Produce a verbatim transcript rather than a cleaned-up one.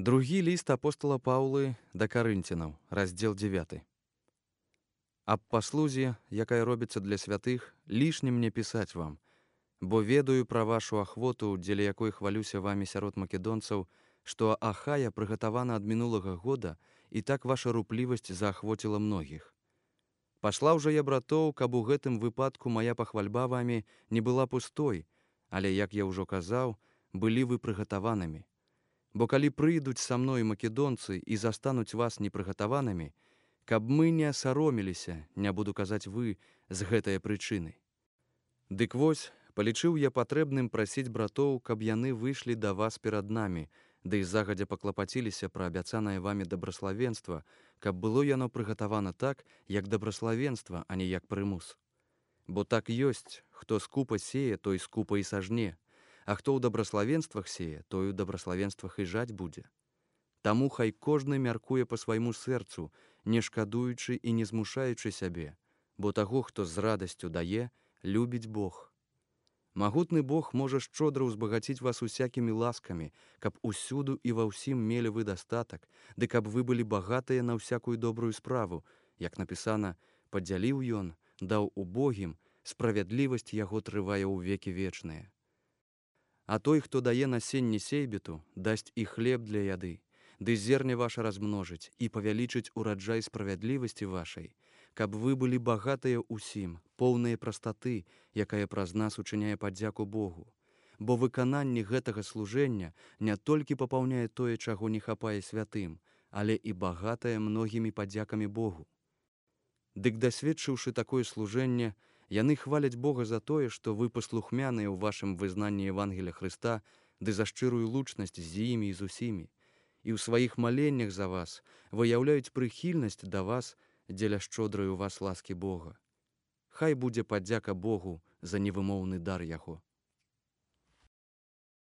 Другі ліст апостала Паўлы да карынцінаў, раздзел дзевяты. Аб паслузе, якая робіцца для святых, лішне мне пісаць вам, бо ведаю пра вашу ахвоту, дзеля якой хвалюся вамі сярод македонцаў, што Ахая прыгатавана ад мінулага года, і так ваша руплівасць заахвоціла многіх. Паслаў жа я братоў, каб у гэтым выпадку мая пахвальба вамі не была пустой, але, як я ўжо казаў, былі вы прыгатаванымі. Бо калі прыйдуць са мной македонцы і застануць вас непрыгатаванымі, каб мы не асароміліся, не буду казаць вы, з гэтае прычыны. Дык вось, палічыў я патрэбным прасіць братоў, каб яны выйшлі да вас перад намі, ды і загадзя паклапаціліся пра абяцанае вамі дабраславенства, каб было яно прыгатавана так, як дабраславенства, а не як прымус. Бо так ёсць, хто скупа сее, той скупа і сажне, а хто ў дабраславенствах сее, той у дабраславенствах і жаць будзе. Таму хай кожны мяркуе па свайму сэрцу, не шкадуючы і не змушаючы сябе, бо таго, хто з радасцю дае, любіць Бог. Магутны Бог можа шчодра ўзбагаціць вас усякімі ласкамі, каб усюду і ва ўсім мелі вы дастатак, ды каб вы былі багатыя на ўсякую добрую справу, як напісана, падзяліў ён, даў убогім, справядлівасць яго трывае ў векі вечныя. А той, хто дае насенне сейбету, дасць і хлеб для яды, ды зерне ваша размножыць і павялічыць ураджай справядлівасці вашай, каб вы былі багатыя ўсім, поўныя прастаты, якая праз нас учыняе падзяку Богу. Бо выкананне гэтага служэння не толькі папаўняе тое, чаго не хапае святым, але і багатае многімі падзякамі Богу. Дык дасведчыўшы такое служэнне, яны хваляць Бога за тое, што вы паслухмяныя ў вашым вызнанні Евангелія Хрыста, ды за шчырую лучнасць з імі і з усімі, і ў сваіх маленнях за вас выяўляюць прыхільнасць да вас дзеля шчодрай у вас ласкі Бога. Хай будзе падзяка Богу за невымоўны дар яго.